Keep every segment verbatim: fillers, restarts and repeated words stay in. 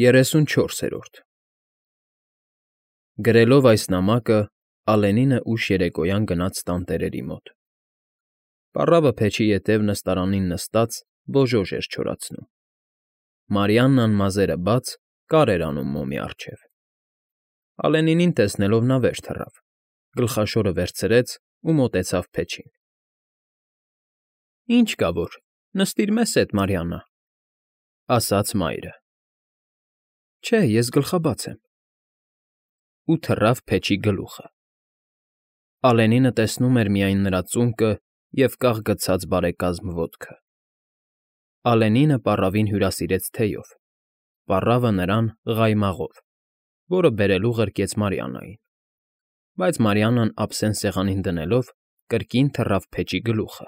Երեսունչորսերորդ Գրելով այս նամակը՝ Ալենինը ուշ երեկոյան գնաց տանտերերի մոտ. պառավը փեչի ետև նստարանին նստած բոժոժ էր չորացնում, Մարիաննան մազերը բաց կար էր անում մոմի առջև. Ալենինին տեսնելով նա վեր թռավ, գլխաշորը վերցրեց ու մոտեցավ փեչին. ֊ Ինչ կա որ, նստիր մեզ հետ, Մարիաննա, ֊ ասաց մայրը։ ֊ Չէ, ես գլխաբաց եմ։ Ու թռավ փեչի գլուխը։ Ալենինը տեսնում էր միայն նրա ծունկը և կաղ գցած բարեկազմ ոտքը։ Ալենինը պառավին հյուրասիրեց թեյով, պառավը նրան՝ ղայմաղով, որը բերելու ղրկեց Մարիաննային, բայց Մարիաննան ափսեն սեղանին դնելով կրկին թռավ փեչի գլուխը,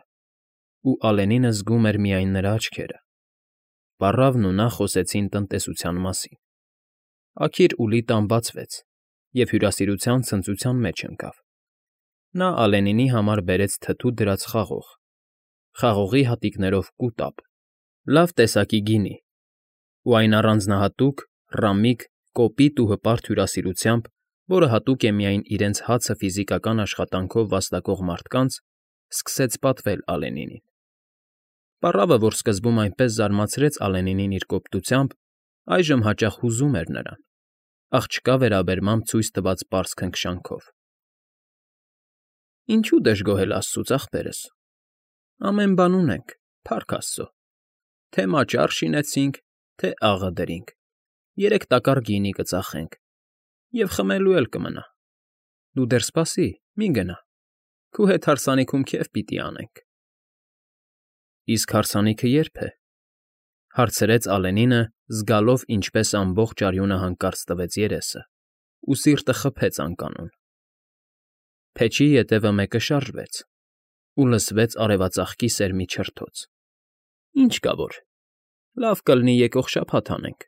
ու Ալենինը զգում էր միայն նրա աչքերը։ Պառավն ու նա խոսեցին տնտեսության մասին։ Աքիր Ուլիտան բացվեց և հյուրասիրության ցնծության մեջ ընկավ. նա Ալենինի համար բերեց թթու դրած խաղող, խաղողի հատիկներով կուտապ, լավ տեսակի գինի, ու այն առանձնահատուկ, ռամիկ, կոպիտ ու հպարտ հյուրասիրությամբ, որը հատուկ է միայն իրենց հացը ֆիզիկական աշխատանքով վաստակող մարդկանց, սկսեց պատվել Ալենինին։ Պառավը, որ սկզբում այնպես զարմացրեց Ալենինին իր կոպտությամբ, այժմ հաճախ հուզում էր նրան, աղջկա վերաբերմամբ ցույց տված պարզ քնքշանքով։ ֊ Ինչու դժգոհել աստծուց, ախպերս, ամեն բան ունենք, փառք աստծո, թե մաճար շինեցինք, թե աղը դրինք, երեք տակառ գինի կծախենք, և խմելու էլ կմնա։ Դու դեռ սպասի, մի գնա, քո հետ հարսանիքում քեֆ պիտի անենք։ ֊ Իսկ հարսանիքը ե՞րբ է,֊ հարցրեց Ալենինը, զգալով, ինչպես ամբողջ արյունը հանկարծ տվեց երեսը, ու սիրտը խփեց անկանոն։ Փեչի ետևը մեկը շարժվեց, ու լսվեց արևածաղկի սերմի չրթոց։ ֊ Ինչ կա որ, լավ կլինի եկող շաբաթ անենք։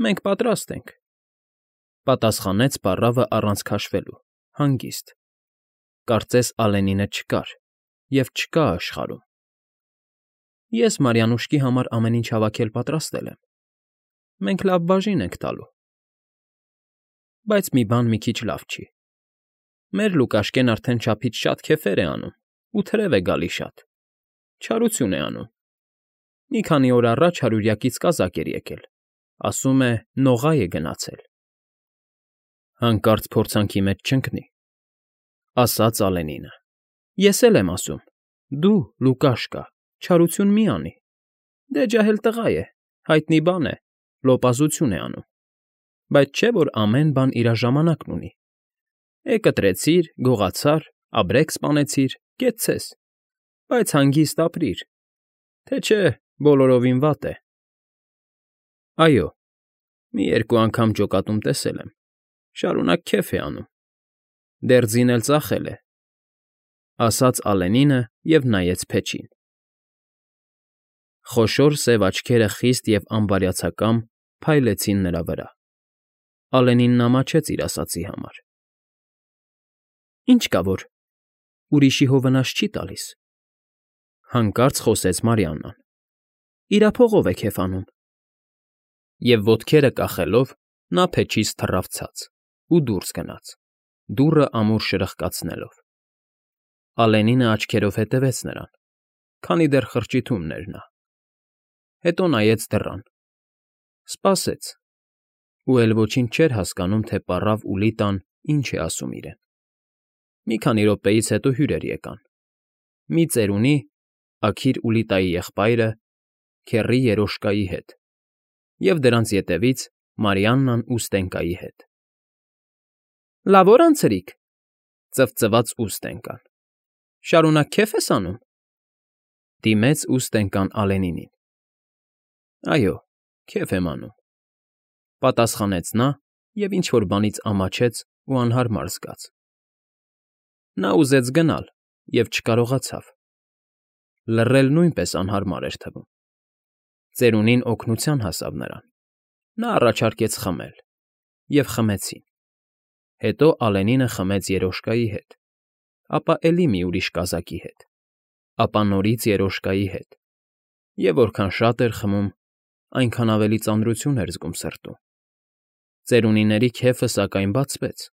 Մենք պատրաստ ենք,֊ պատասխանեց պառավը առանց քաշվելու, հանգիստ, կարծես Ալենինը չկար և չկա աշխարհում։ ֊ Ես Մարիանուշկի համար ամեն ինչ հավաքել պատրաստել եմ, մենք լավ բաժին ենք տալու։ Բայց մի բան մի քիչ լավ չի. մեր Լուկաշկեն արդեն չափից շատ քեֆեր է անում ու թրև է գալի շատ, չարություն է անում։ Մի քանի օր առաջ հարյուրյակից կազակ էր եկել, ասում է նողա է գնացել։ ֊ Հանկարծ փորձանքի մեջ չընկնի,֊ ասաց Ալենինը,֊ ես էլ եմ ասում, դու, Լուկաշկա, չարություն մի անի, դե ջահել տղա է, հայտնի բան է, լոպազություն է անում, բայց չէ՞ որ ամեն բան իր ժամանակն ունի։ Է կտրեցիր, գողացար,աբրեկ սպանեցիր, կեցցես, բայց հանգիստ ապրիր, թե չէ բոլորովին վատ է։ ֊ Այո, մի երկու անգամ ջոկատում տեսել եմ, շարունակ քեֆ է անում, դեռ ձին էլ ծախել է,֊ ասաց Ալենինը և նայեց փեչին։ Խոշոր սև աչքերը խիստ և անբարյացակամ փայլեցին նրա վրա։ Ալենինն ամաչեց իր ասածի համար։ ֊ Ինչ կա որ, ուրիշի հովանաս չի տալիս,֊ հանկարծ խոսեց Մարիաննան,֊ իրափողով է քեֆ անում։ Եվ ոտքերը կախելով՝ նա փեչից թռավ ցած ու դուրս գնաց, դուռը ամուր շրխկացնելով։ Ալենինը աչքերով հետևեց նրան, քանի դեռ խրճիթումն էր նա, հետո նայեց դռան, սպասեց ու էլ ոչինչ չէր հասկանում, թե պառավ Ուլիտան ինչ է ասում իրեն։ Մի քանի րոպեից հետո հյուրեր եկան. մի ծերունի, Աքիր Ուլիտայի եղբայրը, քեռի Երոշկայի հետ, և դրանց ետևից Մարիաննան ու Ստենկայի հետ։ ֊ Լավ օր անցրիք,֊ ծվծված Ուստենկան,֊ շարունակ քեֆ ես անում,֊ դիմեց Ուստենկան Ալենինին։ ֊ Այո, քեֆ եմ անում,֊ պատասխանեց նա և ինչ֊որ բանից ամաչեց ու անհարմար զգաց։ Նա ուզեց գնալ և չկարողացավ. լռել նույնպես անհարմար էր թվում։ Ծերունին օգնության հասավ նրան. նա առաջարկեց խմել, և խմեցին։ Հետո Ալենինը խմեց Երոշկայի հետ, ապա էլի մի ուրիշ կազակի հետ, ապա նորից Երոշկայի հետ, և որքան շատ էր խմում, այնքան ավելի ծանրություն էր զգում սրտում։ Ծերունիների քեֆը, սակայն, բացվեց.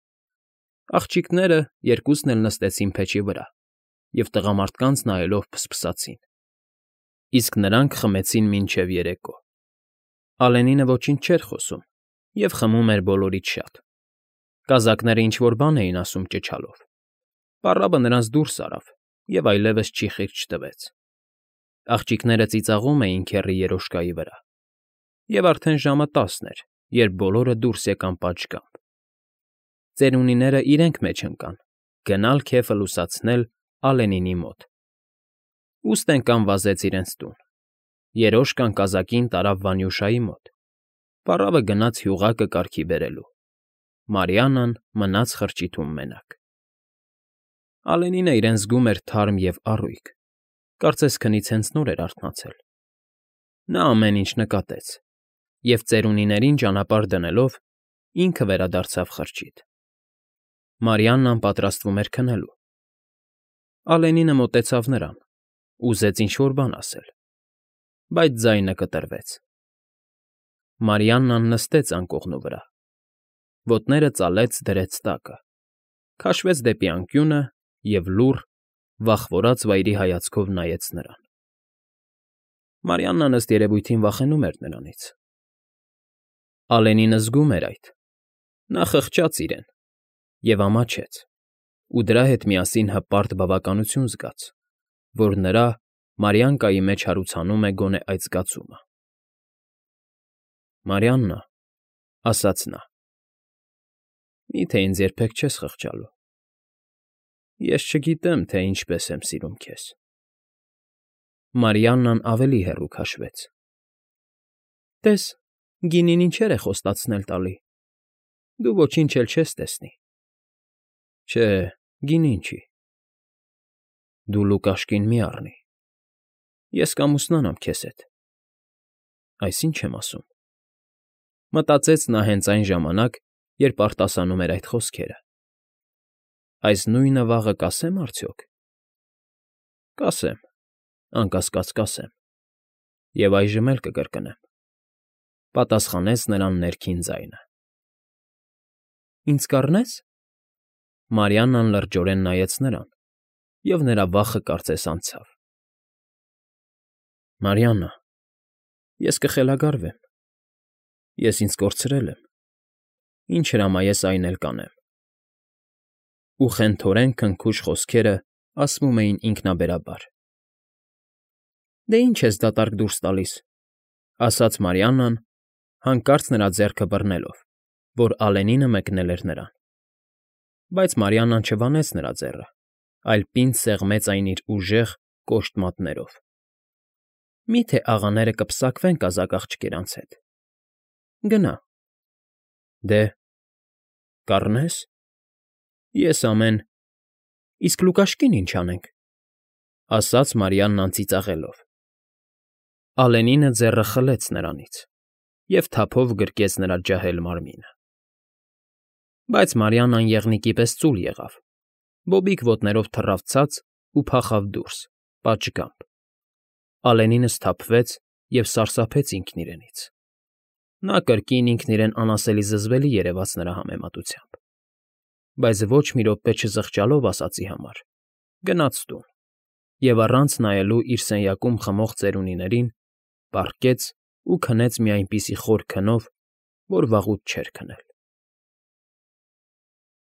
աղջիկները երկուսն էլ նստեցին փեչի վրա և տղամարդկանց նայելով փսփսացին, իսկ նրանք խմեցին մինչև երեկո։ Ալենինը ոչինչ չէր խոսում և խմում էր բոլորից շատ։ Կազակները ինչ֊որ բան էին ասում ճչալով։ Պառավը նրանց դուրս արավ և այլևս չի խիղճ տվեց։ Աղջիկները ծիծաղում էին քեռի երոշկայի վրա, և արդեն ժամը տասն էր, երբ բոլորը դուրս եկան պատշգամբ։ Ծերունիները իրենք մեջ ընկան՝ գնալ քեֆը լուսացնել Ալենինի մոտ։ Ուստենկան վազեց իրենց տուն։ Երոշկան կազակին տարավ Վանյուշայի մոտ։ Պառավը գնաց հյուղակը կարգի բերելու։ Մարիաննան մնաց խրճիթում մենակ։ Ալենինը իրեն զգում էր թարմ և առույգ, կարծես քնից հենց նոր էր արթնացել։ Նա ամեն ինչ նկատեց և, ծերունիներին ճանապարհ դնելով, ինքը վերադարձավ խրճիթ։ Մարիաննան պատրաստվում էր քնելու։ Ալենինը մոտեցավ նրան, ուզեց ինչ֊որ բան ասել, բայց ձայնը կտրվեց։ Մարիաննան նստեց անկողնու վրա, ոտները ծալեց դրեց տակը, քաշվեց դեպի անկյունը և լուռ, վախվորած վայրի հայացքով նայեց նրան։ Մարիաննան, ըստ երևույթին, վախենում էր նրանից։ Ալենինը զգում էր այդ։ Նա խղճաց իրեն և ամաչեց, ու դրա հետ միասին հպարտ բավականություն զգաց, որ նրա՝ Մարիանկայի մեջ հարուցանում է գոնե այդ զգացումը։ ֊ Մարիաննա,֊ ասաց նա,֊ մի՞թե ինձ երբեք չես խղճալու։ Ես չգիտեմ, թե ինչպես եմ սիրում քեզ։ Մարիաննան ավելի հեռու քաշվեց։ ֊ Տես, գինին ինչեր է խոստացնել տալի, դու ոչինչ էլ չես տեսնի։ ֊ Չէ, գինին չի։ ֊ Դու Լուկաշկին մի առնի, ես կամուսնանամ քեզ հետ։ ֊ Այս ի՞նչ եմ ասում,֊ մտածեց նա հենց այն ժամանակ, երբ արտասանում էր այդ խոսքերը։ Այս նույնը վաղը կասե՞մ արդյոք։ ֊ Կասեմ, անկասկած կասեմ, և այժմ էլ կկրկնեմ,֊ պատասխանեց նրան ներքին ձայնը։ ֊ Ինձ կառնե՞ս։ Մարիաննան լրջորեն նայեց նրան, և նրա վախը կարծես անցավ։ ֊ Մարիաննա, ես կխելագարվեմ։ Ես ինձ կորցրել եմ, ինչ հրամայես, այն էլ կանեմ։ Ու խենթորեն քնքուշ խոսքերը ասվում էին ինքնաբերաբար։ ֊ Դե ինչ ես դատարկ դուրս տալիս,֊ ասաց Մարիաննան, հանկարծ նրա ձեռքը բռնելով, որ Ալենինը մեկնել էր նրան։ Բայց Մարիաննան չվանեց նրա ձեռը, այլ պինդ սեղմեց այն իր ուժեղ, կոշտ մատներով։ ֊ Մի՞թե աղաները կպսակվեն կազակ֊աղջիկերանց հետ։ Գնա։ ֊ Դե, կառնե՞ս։ Ես ամեն… Իսկ Լուկաշկին ինչ անենք,֊ ասաց Մարիաննան ծիծաղելով։ Ալենինը ձեռը խլեց նրանից և թափով գրկեց նրա ջահել մարմինը։ Բայց Մարիաննան եղնիկի պես ծուլ եղավ, բոբիկ ոտներով թռավ ցած ու փախավ դուրս, պատշգամբ։ Ալենինը սթափվեց և սարսափեց ինքն իրենից։ Նա կրկին ինքն իրեն անասելի զզվելի երևաց նրա համեմատությամբ, բայց ոչ մի րոպե չզղջալով ասածի համար, գնաց տուն և, առանց նայելու իր սենյակում խմող ծերունիներին, պառկեց ու քնեց մի այնպիսի խոր քնով, որ վաղուց չէր քնել։